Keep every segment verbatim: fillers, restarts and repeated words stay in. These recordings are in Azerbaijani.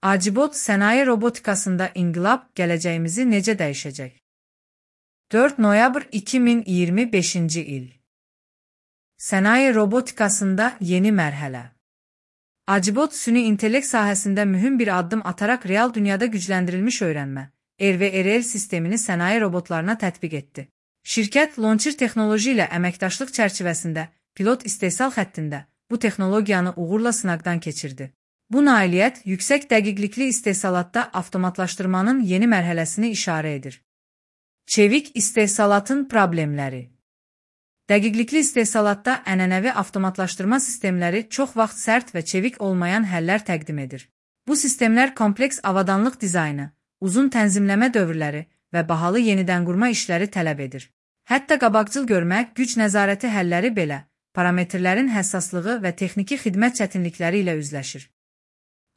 Acibot sənaye robotikasında inqilab gələcəyimizi necə dəyişəcək? dörd noyabr iki min iyirmi beşinci il. Sənaye robotikasında yeni mərhələ. Acibot süni intellekt sahəsində mühüm bir addım ataraq real dünyada gücləndirilmiş öyrənmə R V R L sistemini sənaye robotlarına tətbiq etdi. Şirkət Launcher texnoloji ilə əməkdaşlıq çərçivəsində pilot istehsal xəttində bu texnologiyanı uğurla sınaqdan keçirdi. Bu nailiyyət yüksək dəqiqlikli istehsalatda avtomatlaşdırmanın yeni mərhələsini işarə edir. Çevik istehsalatın problemləri. Dəqiqlikli istehsalatda ənənəvi avtomatlaşdırma sistemləri çox vaxt sərt və çevik olmayan həllər təqdim edir. Bu sistemlər kompleks avadanlıq dizaynı, uzun tənzimləmə dövrləri və bahalı yenidənqurma işləri tələb edir. Hətta qabaqcıl görmə, güc nəzarəti həlləri belə parametrlərin həssaslığı və texniki xidmət çətinlikləri ilə üzləşir.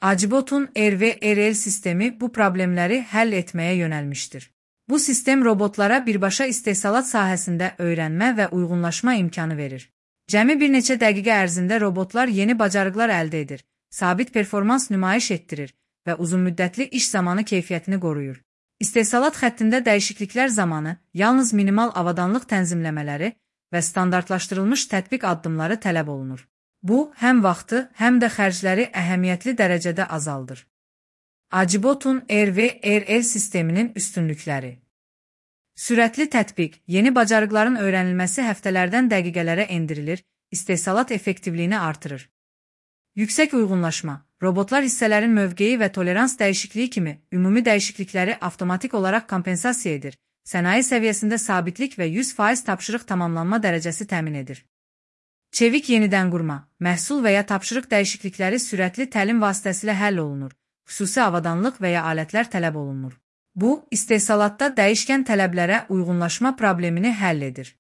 Acibotun R V R L sistemi bu problemləri həll etməyə yönəlmişdir. Bu sistem robotlara birbaşa istehsalat sahəsində öyrənmə və uyğunlaşma imkanı verir. Cəmi bir neçə dəqiqə ərzində robotlar yeni bacarıqlar əldə edir, sabit performans nümayiş etdirir və uzunmüddətli iş zamanı keyfiyyətini qoruyur. İstehsalat xəttində dəyişikliklər zamanı yalnız minimal avadanlıq tənzimləmələri və standartlaşdırılmış tətbiq addımları tələb olunur. Bu, həm vaxtı, həm də xərcləri əhəmiyyətli dərəcədə azaldır. Acibotun R V R L sisteminin üstünlükləri. Sürətli tətbiq, yeni bacarıqların öyrənilməsi həftələrdən dəqiqələrə endirilir, istehsalat effektivliyini artırır. Yüksək uyğunlaşma, robotlar hissələrin mövqeyi və tolerans dəyişikliyi kimi ümumi dəyişiklikləri avtomatik olaraq kompensasiya edir, sənaye səviyyəsində sabitlik və yüz faiz tapşırıq tamamlanma dərəcəsi təmin edir. Çevik yenidənqurma, məhsul və ya tapşırıq dəyişiklikləri sürətli təlim vasitəsilə həll olunur, xüsusi avadanlıq və ya alətlər tələb olunur. Bu, istehsalatda dəyişkən tələblərə uyğunlaşma problemini həll edir.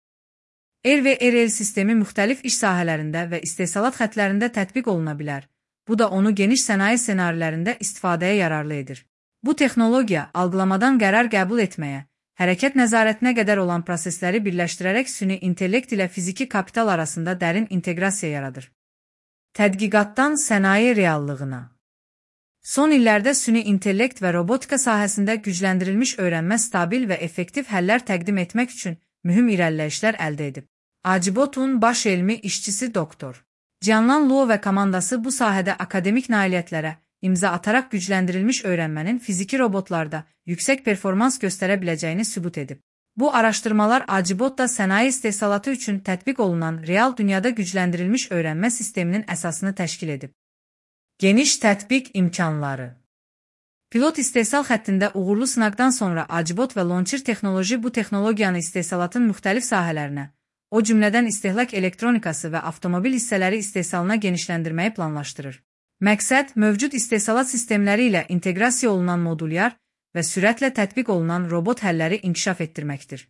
R V R L sistemi müxtəlif iş sahələrində və istehsalat xəttlərində tətbiq oluna bilər. Bu da onu geniş sənaye ssenarilərində istifadəyə yararlı edir. Bu texnologiya algılamadan qərar qəbul etməyə, hərəkət nəzarətinə qədər olan prosesləri birləşdirərək süni intellekt ilə fiziki kapital arasında dərin inteqrasiya yaradır. Tədqiqatdan sənaye reallığına. Son illərdə süni intellekt və robotika sahəsində gücləndirilmiş öyrənmə stabil və effektiv həllər təqdim etmək üçün mühüm irəliləyişlər əldə edib. Acibotun baş elmi işçisi doktor Jianlan Luo və komandası bu sahədə akademik nailiyyətlərə imza ataraq gücləndirilmiş öyrənmənin fiziki robotlarda yüksək performans göstərə biləcəyini sübut edib. Bu araşdırmalar Acibotda sənaye istehsalatı üçün tətbiq olunan real dünyada gücləndirilmiş öyrənmə sisteminin əsasını təşkil edib. Geniş tətbiq imkanları. Pilot istehsal xəttində uğurlu sınaqdan sonra Acibot və Launcher texnoloji bu texnologiyanı istehsalatın müxtəlif sahələrinə, o cümlədən istehlak elektronikası və avtomobil hissələri istehsalına genişləndirməyi planlaşdırır. Məqsəd, mövcud istehsalat sistemləri ilə inteqrasiya olunan modulyar və sürətlə tətbiq olunan robot həlləri inkişaf etdirməkdir.